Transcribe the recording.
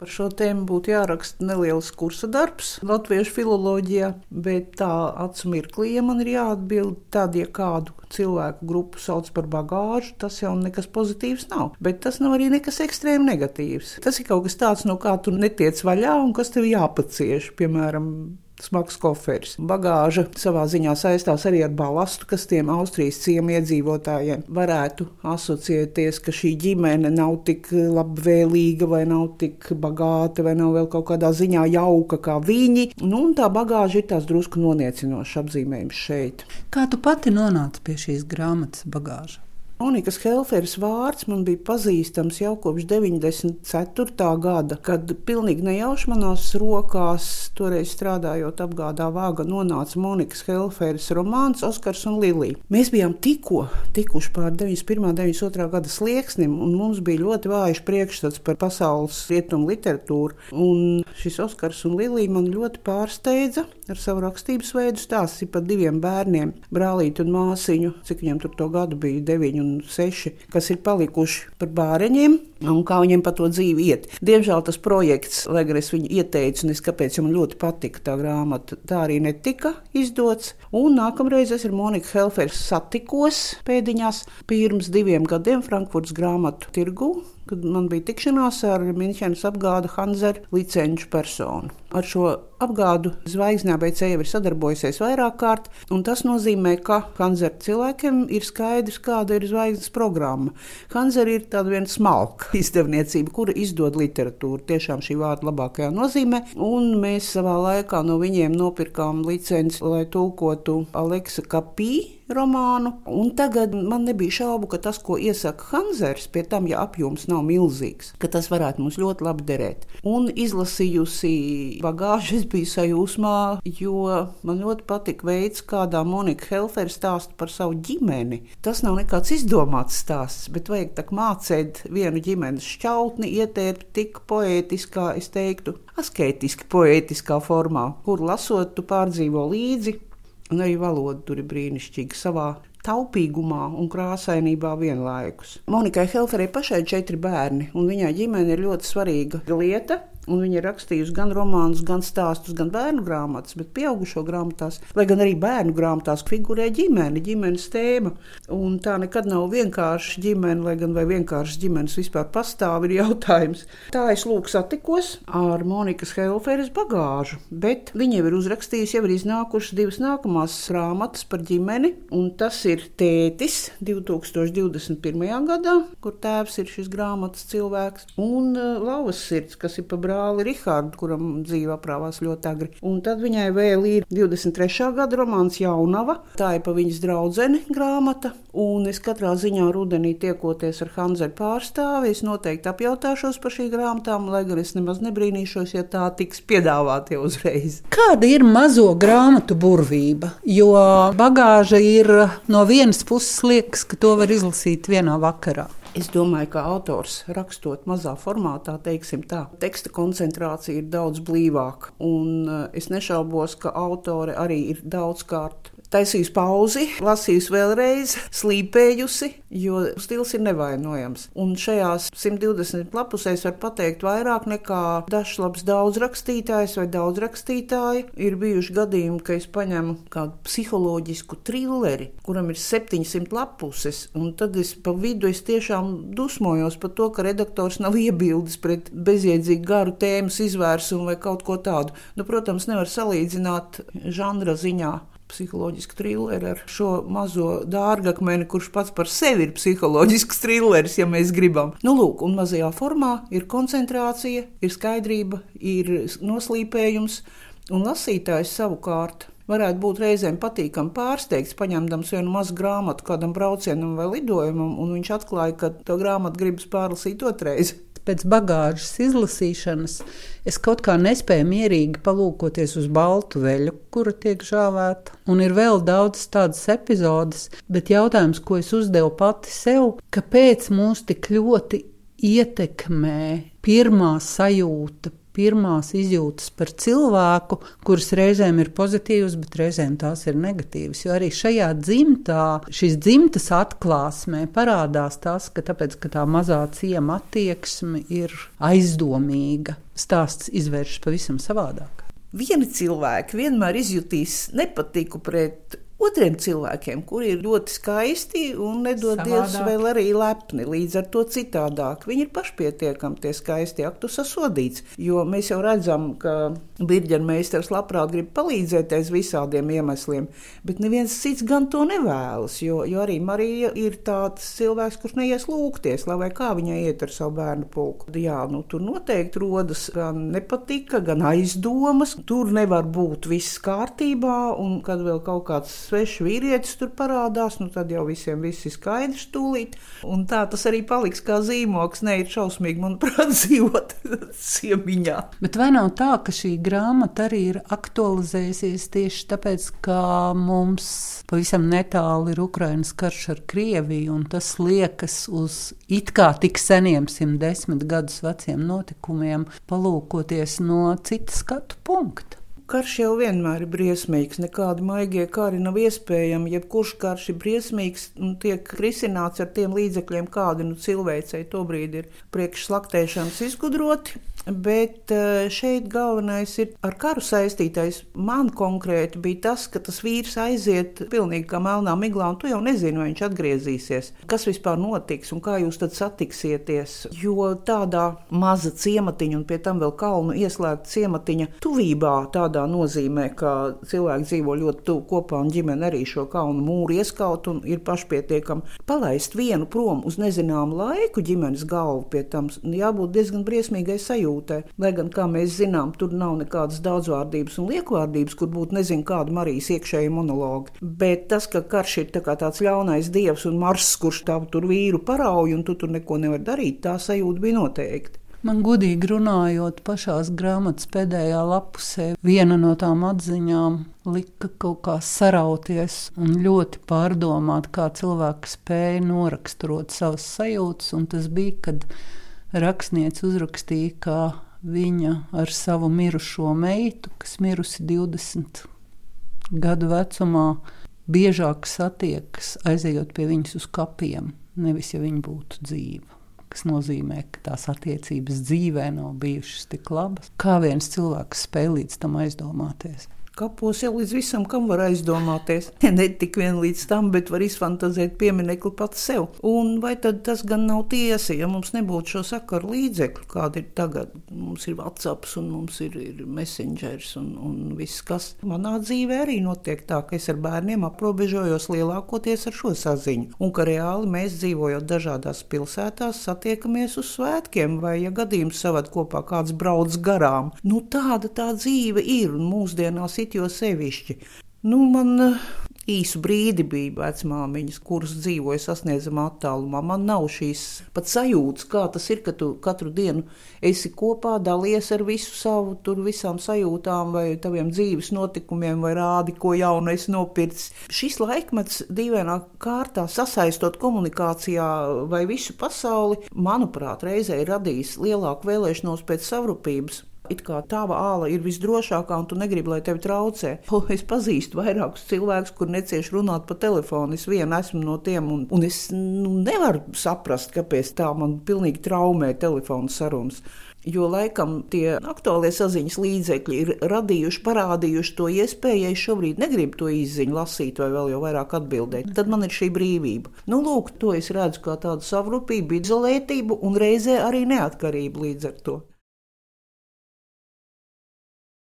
Par šo tēmu būtu jāraksta neliels kursa darbs latviešu filoloģijā, bet tā acu mirklī, ja man ir jāatbild tad, ja kādu cilvēku grupu sauc par bagāžu, tas jau nekas pozitīvs nav. Bet tas nav arī nekas ekstrēmi negatīvs. Tas ir kaut kas tāds, no kā tu netiec vaļā un kas tev jāpacieš, piemēram, smags koferis. Bagāža savā ziņā saistās arī ar balastu, kas tiem Austrijas ciemu iedzīvotājiem varētu asociēties, ka šī ģimene nav tik labvēlīga vai nav tik bagāta vai nav vēl kaut kādā ziņā jauka kā viņi. Un tā bagāža ir tās drusku noniecinošs apzīmējums šeit. Kā tu pati nonāci pie šīs grāmatas Bagāža? Monikas Helferes vārds man bija pazīstams jau kopš 94. gada, kad pilnīgi nejauši manās rokās, toreiz strādājot apgādā Vāga, nonāca Monikas Helferes romāns Oskars un Lilija. Mēs bijām tikuši pār 91. 92. gada slieksnim, un mums bija ļoti vājš priekšstats par pasaules rietumu literatūru. Un šis Oskars un Lilija man ļoti pārsteidza ar savu rakstības veidu. Stāsts ir par diviem bērniem, brālīti un māsiņu, cik viņam tur to gadu bija 9 un 6, kas ir palikuši par bāreņiem un kā viņiem pa to dzīvi iet. Diemžēl tas projekts, lai gan es viņu ieteicu, un es kāpēc, jo man ļoti patika tā grāmata, tā arī netika izdots. Un nākamreiz es ar Moniku Helferu satikos pēdiņās pirms 2 gadiem Frankfurtas grāmatu tirgu, kad man bija tikšanās ar Minhenes apgāda Hanzer licenču personu. Ar šo apgādu zvaigznē BC jau ir sadarbojusies vairāk kārt, un tas nozīmē, ka Hanzer cilvēkiem ir skaidrs, kāda ir zvaigznes programma. Hanzer ir tāda viena smalka izdevniecība, kura izdod literatūru, tiešām šī vārda labākajā nozīmē, un mēs savā laikā no viņiem nopirkām licenci, lai tulkotu Aleksa Kapī romānu, un tagad man nebija šaubu, ka tas, ko iesaka Hanzers, pie tam, ja apjoms nav milzīgs, ka tas varētu mums ļoti labi derēt. Un izlasījusi Bagāžu, es biju sajūsmā, jo man ļoti patika veids, kādā Monika Helfere stāsta par savu ģimeni. Tas nav nekāds izdomāts stāsts, bet vajag tak mācēt vienu ģimenes šķautni, ietērpt tik poētiskā, es teiktu, asketiski poētiskā formā, kur lasot tu pārdzīvo līdzi. Un arī valoda tur ir brīnišķīga savā taupīgumā un krāsainībā vienlaikus. Monikai Helferei pašai 4 bērni, un viņai ģimene ir ļoti svarīga lieta. Un viņa ir rakstījusi gan romānus, gan stāstus, gan bērnu grāmatas, bet pieaugušo grāmatās, lai gan arī bērnu grāmatās figurē ģimenes tēma. Un tā nekad nav vienkārši ģimene, lai gan vai vienkāršas ģimenes vispār pastāv, ir jautājums. Tā es lūk satikos ar Monikas Helferes Bagāžu, bet viņa jau ir uzrakstījusi, jau ir iznākušas 2 nākamās grāmatas par ģimeni, un tas ir Tētis 2021. gadā, kur tēvs ir šis grāmatas cilvēks, un Lauvas sirds, kas ir pa brāli Rihardu, kuram dzīve aprāvās ļoti agri. Un tad viņai vēl ir 23. gada romāns Jaunava. Tā ir pa viņas draudzeni grāmata. Un es katrā ziņā rudenī tiekoties ar Hanzeru pārstāvi, es noteikti apjautāšos par šī grāmatām, lai gan es nemaz nebrīnīšos, ja tā tiks piedāvāti uzreiz. Kāda ir mazo grāmatu burvība? Jo Bagāža ir no vienas puses liekas, ka to var izlasīt vienā vakarā. Es domāju, ka autors rakstot mazā formātā, teiksim tā, teksta koncentrācija ir daudz blīvāka. Un es nešaubos, ka autore arī ir daudzkārt taisījusi pauzi, lasījusi vēlreiz, slīpējusi, jo stils ir nevainojams. Un šajās 120 lapusēs var pateikt vairāk nekā dažs labs daudzrakstītājs vai daudzrakstītāji. Ir bijuši gadījumi, ka es paņemu kādu psiholoģisku trilleri, kuram ir 700 lapuses, un tad pa vidu es tiešām dusmojos par to, ka redaktors nav iebildes pret bezjēdzīgu garu tēmas izvērsumu vai kaut ko tādu. Nu, protams, nevar salīdzināt žanra ziņā psiholoģisku trilleri ar šo mazo dārgakmeni, kurš pats par sevi ir psiholoģisks trilleris, ja mēs gribam. Nu, lūk, un mazajā formā ir koncentrācija, ir skaidrība, ir noslīpējums, un lasītājs savukārt varētu būt reizēm patīkami pārsteigts, paņemdams vienu mazu grāmatu kādam braucienam vai lidojumam, un viņš atklāja, ka to grāmatu gribas pārlasīt otrais. Pēc Bagāžas izlasīšanas es kaut kā nespēju mierīgi palūkoties uz baltu veļu, kura tiek žāvēta. Un ir vēl daudz tādas epizodes, bet jautājums, ko es uzdevu pati sev, kāpēc mūs tik ļoti ietekmē pirmā sajūta pirmās izjūtas par cilvēku, kuras reizēm ir pozitīvas, bet reizēm tās ir negatīvas. Jo arī šajā dzimtā, šīs dzimtas atklāsmē parādās tas, ka tāpēc, ka tā mazā ciema attieksme ir aizdomīga, stāsts izvēršas pavisam savādāk. Vieni cilvēki vienmēr izjutīs nepatiku pret otriem cilvēkiem, kuri ir ļoti skaisti un nedod Dievs vēl arī lepni, līdz ar to citādāk. Viņi ir pašpietiekami tie skaisti, ak, tu sasodīts, jo mēs jau redzam, ka birģermeistars labprāt grib palīdzēt aiz visādiem iemesliem, bet neviens cits gan to nevēlas, jo arī Marija ir tāds cilvēks, kurš neies lūgties, lai vai kā viņai iet ar savu bērnu pulku. Jā, tur noteikti rodas gan nepatika, gan aizdomas, tur nevar būt viss kārtībā, un kad vēl kaut kāds svešs vīrietis tur parādās, tad jau visiem viss ir skaidrs tūlīt. Un tā tas arī paliks kā zīmoks. Ne, ir šausmīgi, manuprāt, dzīvot ciemiņā. Bet vai nav tā, ka šī grāmata arī ir aktualizējusies tieši tāpēc, ka mums pavisam netālu ir Ukrainas karš ar Krieviju, un tas liekas uz it kā tik seniem 110 gadus veciem notikumiem, palūkoties no cita skatu punkta? Karš jau vienmēr ir briesmīgs, nekādi maigie kari nav iespējami. Jebkurš karš ir briesmīgs un tiek risināts ar tiem līdzekļiem, kādi cilvēcei tobrīd ir priekš slaktēšanas izgudroti. Bet šeit galvenais ir ar karu saistītais. Man konkrēti bija tas, ka tas vīrs aiziet pilnīgi kā melnā miglā, un tu jau nezini, vai viņš atgriezīsies. Kas vispār notiks un kā jūs tad satiksieties? Jo tādā maza ciematiņa un pie tam vēl kalnu ieslēgta ciematiņa tuvībā tādā nozīmē, ka cilvēki dzīvo ļoti tuvu kopā un ģimene arī šo kalnu mūru ieskaut un ir pašpietiekami. Palaist vienu prom uz nezināmu laiku ģimenes galvu pie tam jābūt diezgan briesmīgai sajūtai. Lai gan, kā mēs zinām, tur nav nekādas daudzvārdības un liekvārdības, kur būtu nezinu kāda Marijas iekšēja monologa. Bet tas, ka karš ir tāds ļaunais dievs un Marss, kurš tur vīru parauj un tu tur neko nevar darīt, tā sajūta bija noteikti. Man godīgi runājot, pašās grāmatas pēdējā lapusē viena no tām atziņām lika kaut kā sarauties un ļoti pārdomāt, kā cilvēki spēja noraksturot savas sajūtas, un tas bija, kad rakstniece uzrakstīja, ka viņa ar savu mirušo meitu, kas mirusi 20 gadu vecumā, biežāk satiekas aizejot pie viņas uz kapiem, nevis ja viņa būtu dzīva. Kas nozīmē, ka tās attiecības dzīvē nav bijušas tik labas. Kā viens cilvēks spēj līdz tam aizdomāties? Kapos jau līdz visam, kam var aizdomāties. Ne tik vien līdz tam, bet var izfantazēt pieminekli pats sev. Un vai tad tas gan nav tiesa, ja mums nebūtu šo sakaru līdzekļu, kāda ir tagad? Mums ir WhatsApps un mums ir Messengers un viss, kas manā dzīvē arī notiek tā, ka es ar bērniem aprobežojos lielākoties ar šo saziņu. Un ka reāli mēs dzīvojot dažādās pilsētās satiekamies uz svētkiem vai, ja gadījums savad kopā kāds brauc garām. Tāda tā dzīve ir un mūsdienās jo sevišķi. Man īsu brīdi bija vecmāmiņas, kuras dzīvoja sasniedzamā attālumā. Man nav šīs pat sajūtas, kā tas ir, ka tu katru dienu esi kopā, dalies ar visu savu, visām sajūtām vai taviem dzīves notikumiem vai rādi, ko jaunu esi nopircis. Šis laikmets dīvainā kārtā sasaistot komunikācijā vai visu pasauli, manuprāt, reizē ir radījis lielāku vēlēšanos pēc savrupības. It kā tava āla ir visdrošākā un tu negribi, lai tevi traucē. Es pazīstu vairākus cilvēkus, kur necieš runāt pa telefonu. Es viena esmu no tiem un es nevaru saprast, kāpēc tā man pilnīgi traumē telefonu sarunas. Jo laikam tie aktuālie saziņas līdzekļi ir parādījuši to iespēju, ja es šobrīd negribu to izziņu lasīt vai vēl jau vairāk atbildēt. Tad man ir šī brīvība. Lūk, to es redzu kā tādu savrupību, izolētību un reizē arī neatkarību līdz ar to.